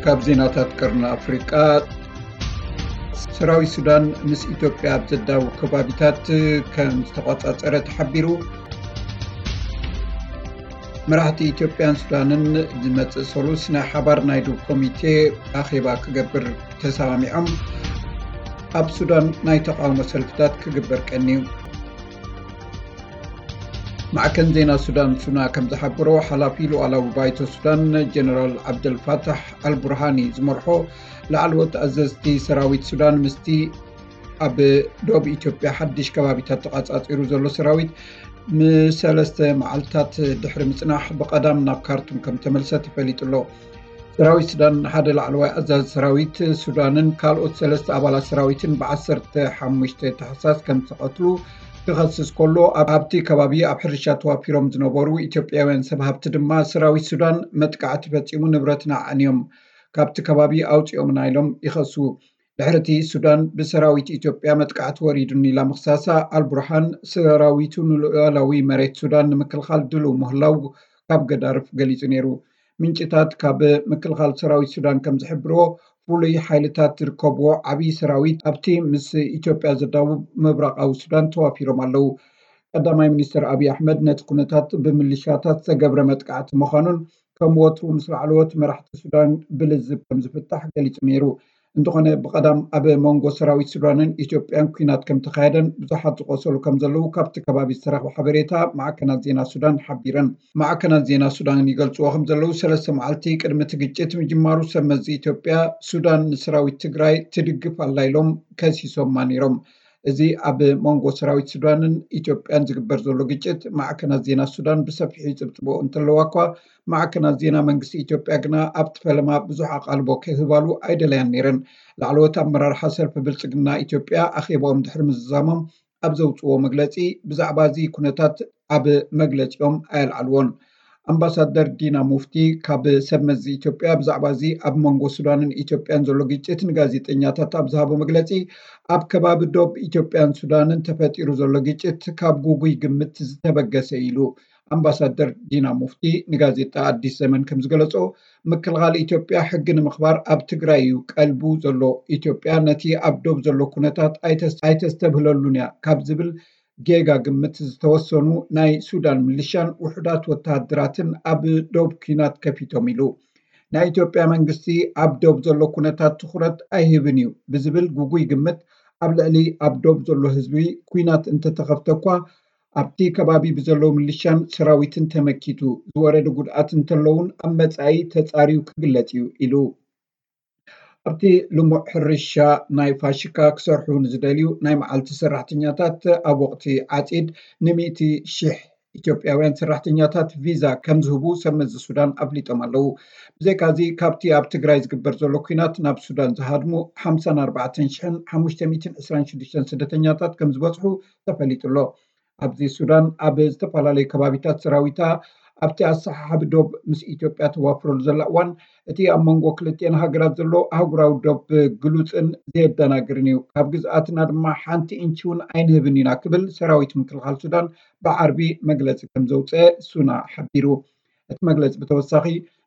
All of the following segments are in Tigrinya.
ካብ ዜናታት ቀርኒ ኣፍሪቃ፣ ሰራዊት ሱዳን ምስ ኢትዮጵያ ኣብ ዘዳውብ ከባቢታት ከም ዝተቖጻጸረ ተሓቢሩ። መራሕቲ ኢትዮጵያን ሱዳንን ዝመጽእ ሰሉስ ናይ ሓባር ናይ ዶብ ኮሚቴ ኣኼባ ክገብር ተሰማሚዖም። ኣብ ሱዳን ናይ ተቓውሞ ሰልፍታት ክግበር ቀንዩ። ማዕከን ዜና ሱዳን ሱና ከም ዝሓበሮ፣ ሓላፊ ሉዓላዊ ባይቶ ሱዳን ጀነራል ዓብደልፋታሕ ኣልቡርሃኒ ዝመርሖ ላዕለዎት ኣዘዝቲ ሰራዊት ሱዳን ምስቲ ኣብ ዶብ ኢትዮጵያ ሓድሽ ከባቢታት ተቓጻጺሩ ዘሎ ሰራዊት ንሰለስተ መዓልታት ድሕሪ ምጽናሕ ብቐዳም ናብ ካርቱም ከም ተመልሰ ተፈሊጡ ኣሎ። ሰራዊት ሱዳን ሓደ ላዕለዋይ ኣዛዚ ሰራዊት ሱዳንን ካልኦት ሰለስተ ኣባላት ሰራዊትን ብዓሰርተ ሓሙሽተ ታሕሳስ ከም ዝተቐትሉ ክኸስስ ከሎ፣ ኣብ ኣብቲ ከባቢ ኣብ ሕርሻ ተዋፊሮም ዝነበሩ ኢትዮጵያውያን ሰብ ሃብቲ ድማ ሰራዊት ሱዳን መጥቃዕቲ ፈጺሙ ንብረትና ኣዕንዮም፣ ካብቲ ከባቢ ኣውጺኦምና ኢሎም ይኸሱ። ድሕርቲ ሱዳን ብሰራዊት ኢትዮጵያ መጥቃዕቲ ወሪዱኒ ኢላ ምኽሳሳ፣ ኣልቡርሃን ሰራዊቱ ንሉዓላዊ መሬት ሱዳን ንምክልኻል ድሉው ምህላው ካብ ገዳርፍ ገሊጹ ነይሩ። ምንጭታት ካብ ምክልኻል ሰራዊት ሱዳን ከም ዝሕብርዎ፣ ፍሉይ ሓይልታት ዝርከብዎ ዓብዪ ሰራዊት ኣብቲ ምስ ኢትዮጵያ ዘዳውብ ምብራቓዊ ሱዳን ተዋፊሮም ኣለዉ። ቀዳማይ ሚኒስትር ኣብይ ኣሕመድ ነቲ ኩነታት ብምልሻታት ዝተገብረ መጥቃዕቲ ምዃኑን ከም ወትሩ ምስ ላዕለዎት መራሕቲ ሱዳን ብልዝብ ከም ዝፍታሕ ገሊጹ ነይሩ። እንተኾነ ብቐዳም ኣብ መንጎ ሰራዊት ሱዳንን ኢትዮጵያን ኲናት ከም ተኻየደን ብዙሓት ዝቖሰሉ ከም ዘለዉ ካብቲ ከባቢ ዝተረኽበ ሓበሬታ ማዕከናት ዜና ሱዳን ሓቢረን። ማዕከናት ዜና ሱዳን ይገልጽዎ ከም ዘለዉ፣ ሰለስተ መዓልቲ ቅድሚ እቲ ግጭት ምጅማሩ ሰብ መዚ ኢትዮጵያ ሱዳን ንሰራዊት ትግራይ ትድግፍ ኣላ ኢሎም ከሲሶማ ነይሮም። እዚ ኣብ መንጎ ሰራዊት ሱዳንን ኢትዮጵያን ዝግበር ዘሎ ግጭት ማዕከናት ዜና ሱዳን ብሰፊሑ ይጽብጽቦ እንተለዋ እኳ፣ ማዕከናት ዜና መንግስቲ ኢትዮጵያ ግና ኣብቲ ፈለማ ብዙሕ ኣቓልቦ ክህባሉ ኣይደለያን ነይረን። ላዕለዎት ኣመራርሓ ሰልፊ ብልጽግና ኢትዮጵያ ኣኼባኦም ድሕሪ ምዝዛሞም ኣብ ዘውጽዎ መግለጺ፣ ብዛዕባ እዚ ኩነታት ኣብ መግለጺኦም ኣየልዓልዎን። ኣምባሳደር ዲና ሙፍቲ ካብ ሰብ መዚ ኢትዮጵያ ብዛዕባ እዚ ኣብ መንጎ ሱዳንን ኢትዮጵያን ዘሎ ግጭት ንጋዜጠኛታት ኣብ ዝሃቦ መግለጺ፣ ኣብ ከባቢ ዶብ ኢትዮጵያን ሱዳንን ተፈጢሩ ዘሎ ግጭት ካብ ጉጉይ ግምት ዝተበገሰ ኢሉ። ኣምባሳደር ዲና ሙፍቲ ንጋዜጣ ኣዲስ ዘመን ከም ዝገለጾ፣ ምክልኻል ኢትዮጵያ ሕጊ ንምኽባር ኣብ ትግራይ እዩ ቀልቡ ዘሎ። ኢትዮጵያ ነቲ ኣብ ዶብ ዘሎ ኩነታት ኣይተስ-፣ ኣይተስተብህለሉን እያ ካብ ዝብል ጌጋ ግምት ዝተወሰኑ ናይ ሱዳን ሚሊሻን ውሑዳት ወተሃደራትን ኣብ ዶብ ኲናት ከፊቶም ኢሉ። ናይ ኢትዮጵያ መንግስቲ ኣብ ዶብ ዘሎ ኩነታት ትኹረት ኣይህብን እዩ ብዝብል ጉጉይ ግምት፣ ኣብ ልዕሊ ኣብ ዶብ ዘሎ ህዝቢ ኲናት እንተተኸፍተ እኳ፣ ኣብቲ ከባቢ ብዘለዉ ሚሊሻን ሰራዊትን ተመኪቱ ዝወረደ ጉድኣት እንተለውን ኣብ መጻኢ ተጻርዩ ክግለጽ እዩ ኢሉ። ኣብቲ ልሙዕ ሕርሻ ናይ ፋሽካ ክሰርሑ ንዝደልዩ ናይ መዓልቲ ሰራሕተኛታት ኣብ ወቕቲ ዓጺድ ንሚእቲ ሺሕ ኢትዮጵያውያን ሰራሕተኛታት ቪዛ ከም ዝህቡ ሰብ መዚ ሱዳን ኣፍሊጦም ኣለዉ። ብዘይካዚ ካብቲ ኣብ ትግራይ ዝግበር ዘሎ ኲናት ናብ ሱዳን ዝሃድሙ ሓምሳን ኣርባዕተን ሽሕን ሓሙሽተ ሚእትን ዕስራን ሽዱሽተን ስደተኛታት ከም ዝበጽሑ ተፈሊጡ ኣሎ። ኣብዚ ሱዳን ኣብ ዝተፈላለዩ ከባቢታት ሰራዊታ ኣብቲ ኣሰሓሓቢ ዶብ ምስ ኢትዮጵያ ተዋፍረሉ ዘላ እዋን፣ እቲ ኣብ መንጎ ክልቲኤን ሃገራት ዘሎ ኣህጉራዊ ዶብ ግሉጽን ዘየደናግርን እዩ። ካብ ግዝኣትና ድማ ሓንቲ ኢንቺ እውን ኣይንህብን ኢና ክብል ሰራዊት ምክልኻል ሱዳን ብዓርቢ መግለጺ ከም ዘውፅአ ሱና ሓቢሩ። እቲ መግለጺ ብተወሳኺ፣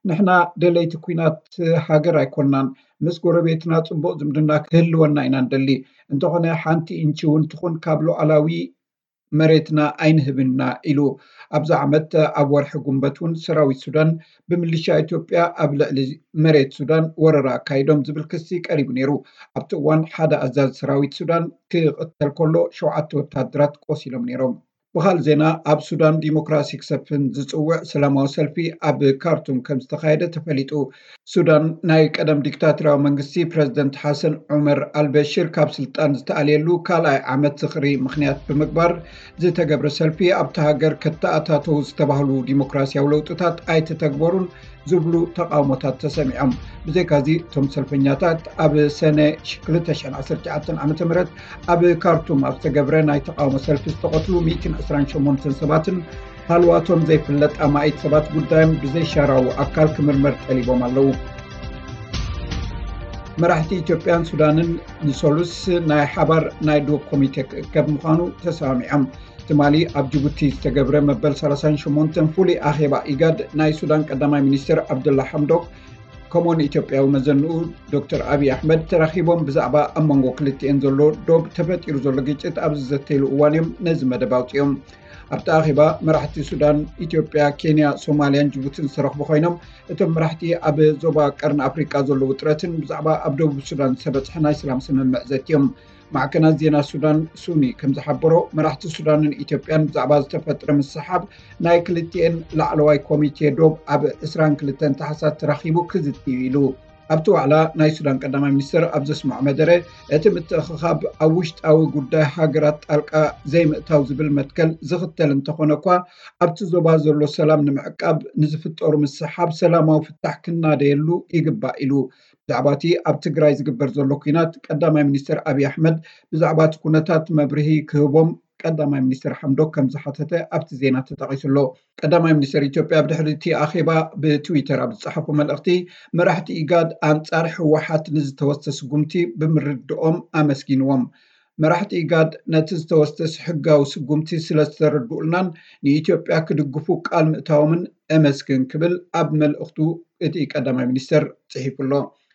ንሕና ደለይቲ ኲናት ሃገር ኣይኮንናን፣ ምስ ጎረቤትና ጽቡቕ ዝምድና ክህልወና ኢና ንደሊ። እንተኾነ ሓንቲ ኢንቺ እውን ትኹን ካብ ሉዓላዊ መሬትና ኣይንህብን ኢና ኢሉ። ኣብዚ ዓመት ኣብ ወርሒ ጉንበት እውን ሰራዊት ሱዳን ብምልሻ ኢትዮጵያ ኣብ ልዕሊ መሬት ሱዳን ወረራ ኣካይዶም ዝብል ክሲ ቀሪቡ ነይሩ። ኣብቲ እዋን ሓደ ኣዛዚ ሰራዊት ሱዳን ክቕተል ከሎ ሸውዓተ ወታደራት ቆሲሎም ነይሮም። ብኻልእ ዜና፣ ኣብ ሱዳን ዲሞክራሲ ክሰፍን ዝጽውዕ ሰላማዊ ሰልፊ ኣብ ካርቱም ከም ዝተኻየደ ተፈሊጡ። ሱዳን ናይ ቀደም ዲክታቶርያዊ መንግስቲ ፕረዚደንት ሓሰን ዑመር ኣልበሽር ካብ ስልጣን ዝተኣልየሉ ካልኣይ ዓመት ዝኽሪ ምኽንያት ብምግባር ዝተገብረ ሰልፊ፣ ኣብታ ሃገር ከተኣታተው ዝተባህሉ ዲሞክራሲያዊ ለውጥታት ኣይተተግበሩን ዝብሉ ተቓውሞታት ተሰሚዖም። ብዘይካዚ፣ እቶም ሰልፈኛታት ኣብ ሰነ ክልተ ሽሕን ዓሰርተ ትሽዓተን ዓመተ ምህረት ኣብ ካርቱም ኣብ ዝተገብረ ናይ ተቓውሞ ሰልፊ ዝተቐትሉ ሚእትን ዕስራን ሸሞንተን ሰባትን ሃልዋቶም ዘይፍለጥ ኣማኢት ሰባት ጉዳዮም ብዘይሻራዊ ኣካል ክምርመር ጠሊቦም ኣለዉ። መራሕቲ ኢትዮጵያን ሱዳንን ንሰሉስ ናይ ሓባር ናይ ዶብ ኮሚቴ ክእከብ ምዃኑ ተሰማሚዖም። ትማሊ ኣብ ጅቡቲ ዝተገብረ መበል ሰላሳን ሸሞንተን ፍሉይ ኣኼባ ኢጋድ፣ ናይ ሱዳን ቀዳማይ ሚኒስትር ዓብደላ ሓምዶክ ከምኡውን ኢትዮጵያዊ መዘንኡ ዶክተር ኣብይ ኣሕመድ ተራኺቦም ብዛዕባ ኣብ መንጎ ክልቲኤን ዘሎ ዶብ ተፈጢሩ ዘሎ ግጭት ኣብ ዝዘተይሉ እዋን እዮም ነዚ መደብ ኣውፂኦም። ኣብቲ ኣኼባ መራሕቲ ሱዳን፣ ኢትዮጵያ፣ ኬንያ፣ ሶማልያን ጅቡትን ዝተረኽቡ ኮይኖም፣ እቶም መራሕቲ ኣብ ዞባ ቀርኒ ኣፍሪቃ ዘሎ ውጥረትን ብዛዕባ ኣብ ደቡብ ሱዳን ዝተበፅሐ ናይ ሰላም ስምምዕ ዘትዮም። ማዕከናት ዜና ሱዳን ሱኒ ከም ዝሓበሮ፣ መራሕቲ ሱዳንን ኢትዮጵያን ብዛዕባ ዝተፈጥረ ምስሓብ ናይ ክልቲኤን ላዕለዋይ ኮሚቴ ዶብ ኣብ ዕስራን ክልተን ታሕሳስ ተራኺቡ ክዝቲ እዩ ኢሉ። ኣብቲ ዋዕላ ናይ ሱዳን ቀዳማይ ሚኒስትር ኣብ ዘስምዖ መደረ፣ እቲ ምትእኽኻብ ኣብ ውሽጣዊ ጉዳይ ሃገራት ጣልቃ ዘይምእታው ዝብል መትከል ዝኽተል እንተኾነ እኳ፣ ኣብቲ ዞባ ዘሎ ሰላም ንምዕቃብ ንዝፍጠሩ ምስሓብ ሰላማዊ ፍታሕ ክናደየሉ ይግባእ ኢሉ። ብዛዕባ እቲ ኣብ ትግራይ ዝግበር ዘሎ ኲናት ቀዳማይ ሚኒስትር ኣብይ ኣሕመድ ብዛዕባ እቲ ኩነታት መብርሂ ክህቦም ቀዳማይ ሚኒስትር ሓምዶክ ከም ዝሓተተ ኣብቲ ዜና ተጠቒሱ ኣሎ። ቀዳማይ ሚኒስትር ኢትዮጵያ ኣብ ድሕሪ እቲ ኣኼባ ብትዊተር ኣብ ዝጸሓፎ መልእኽቲ፣ መራሕቲ ኢጋድ ኣንጻር ህወሓት ንዝተወስደ ስጉምቲ ብምርድኦም ኣመስጊንዎም። መራሕቲ ኢጋድ ነቲ ዝተወስደ ሕጋዊ ስጉምቲ ስለ ዝተረድኡልናን ንኢትዮጵያ ክድግፉ ቃል ምእታዎምን እመስግን ክብል ኣብ መልእኽቱ እቲ ቀዳማይ ሚኒስትር ጽሒፉ ኣሎ።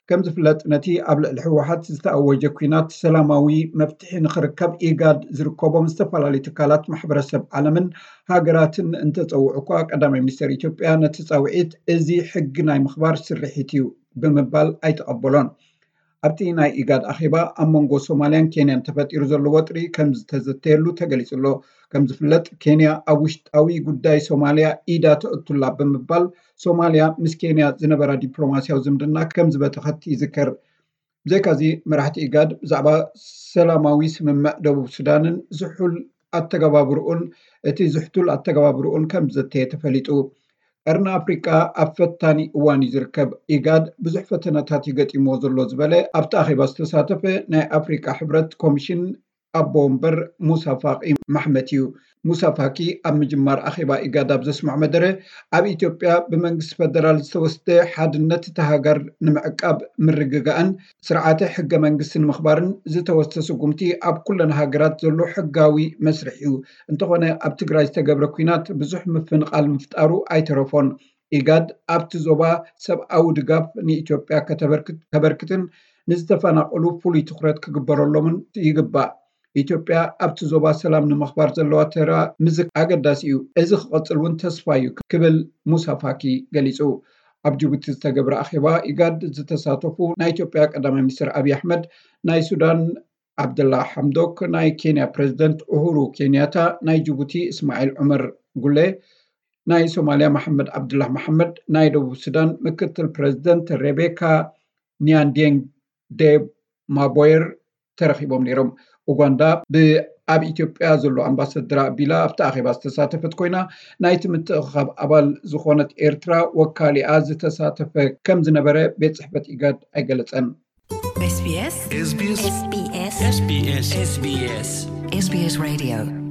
ከም ዝፍለጥ፣ ነቲ ኣብ ልዕሊ ህወሓት ዝተኣወጀ ኲናት ሰላማዊ መፍትሒ ንኽርከብ ኢጋድ ዝርከቦም ዝተፈላለዩ ትካላት ማሕበረሰብ ዓለምን ሃገራትን እንተጸውዑ እኳ፣ ቀዳማይ ሚኒስትር ኢትዮጵያ ነቲ ጻውዒት እዚ ሕጊ ናይ ምኽባር ስርሒት እዩ ብምባል ኣይተቐበሎን። ኣብቲ ናይ ኢጋድ ኣኼባ ኣብ መንጎ ሶማልያን ኬንያን ተፈጢሩ ዘሎ ወጥሪ ከም ዝተዘተየሉ ተገሊጹ ኣሎ። ከም ዝፍለጥ፣ ኬንያ ኣብ ውሽጣዊ ጉዳይ ሶማልያ ኢዳ ተእቱላ ብምባል፣ ሶማልያ ምስ ኬንያ ዝነበራ ዲፕሎማስያዊ ዝምድና ከም ዝበተኸት ይዝከር። ብዘይካዚ፣ መራሕቲ ኢጋድ ብዛዕባ ሰላማዊ ስምምዕ ደቡብ ሱዳንን ዝሑል ኣተገባብርኡን፣ እቲ ዝሕቱል ኣተገባብርኡን ከም ዘተየ ተፈሊጡ። ቀርኒ ኣፍሪቃ ኣብ ፈታኒ እዋን እዩ ዝርከብ። ኢጋድ ብዙሕ ፈተነታት እዩ ገጢምዎ ዘሎ ዝበለ ኣብቲ ኣኼባ ዝተሳተፈ ናይ ኣፍሪቃ ሕብረት ኮሚሽን ኣቦ ወንበር ሙሳ ፋቂ ማሕመት እዩ። ሙሳ ፋቂ ኣብ ምጅማር ኣኼባ ኢጋድ ኣብ ዘስምዖ መደረ፣ ኣብ ኢትዮጵያ ብመንግስቲ ፈደራል ዝተወስደ ሓድነት እታ ሃገር ንምዕቃብ ምርግጋእን ስርዓተ ሕገ መንግስቲ ንምኽባርን ዝተወስደ ስጉምቲ ኣብ ኩለን ሃገራት ዘሎ ሕጋዊ መስርሕ እዩ። እንተኾነ፣ ኣብ ትግራይ ዝተገብረ ኲናት ብዙሕ ምፍንቓል ምፍጣሩ ኣይተረፎን። ኢጋድ ኣብቲ ዞባ ሰብኣዊ ድጋፍ ንኢትዮጵያ ከተበርክት፣ ከበርክትን ንዝተፈናቐሉ ፍሉይ ትኹረት ክግበረሎምን ይግባእ። ኢትዮጵያ ኣብቲ ዞባ ሰላም ንምኽባር ዘለዋ ተራ ምዝክ ኣገዳሲ እዩ። እዚ ክቐጽል እውን ተስፋ እዩ ክብል ሙሳ ፋኪ ገሊጹ። ኣብ ጅቡቲ ዝተገብረ ኣኼባ ኢጋድ ዝተሳተፉ ናይ ኢትዮጵያ ቀዳማይ ሚኒስትር ኣብይ ኣሕመድ፣ ናይ ሱዳን ዓብደላ ሓምዶክ፣ ናይ ኬንያ ፕሬዝደንት ኡሁሩ ኬንያታ፣ ናይ ጅቡቲ እስማዒል ዑመር ጉሌ፣ ናይ ሶማልያ መሐመድ ዓብዱላህ መሐመድ፣ ናይ ደቡብ ሱዳን ምክትል ፕሬዝደንት ሬቤካ ኒያንዲንግ ዴብ ማቦየር ተረኺቦም ነይሮም። ኡጋንዳ ብ-፣ ኣብ ኢትዮጵያ ዘሎ ኣምባሳደራ ኣቢላ ኣብቲ ኣኼባ ዝተሳተፈት ኮይና፣ ናይቲ ምትእኽኻብ ኣባል ዝኾነት ኤርትራ ወካሊኣ ዝተሳተፈ ከም ዝነበረ ቤት ጽሕፈት ኢጋድ ኣይገለጸን። SBS SBS SBS SBS SBS SBS Radio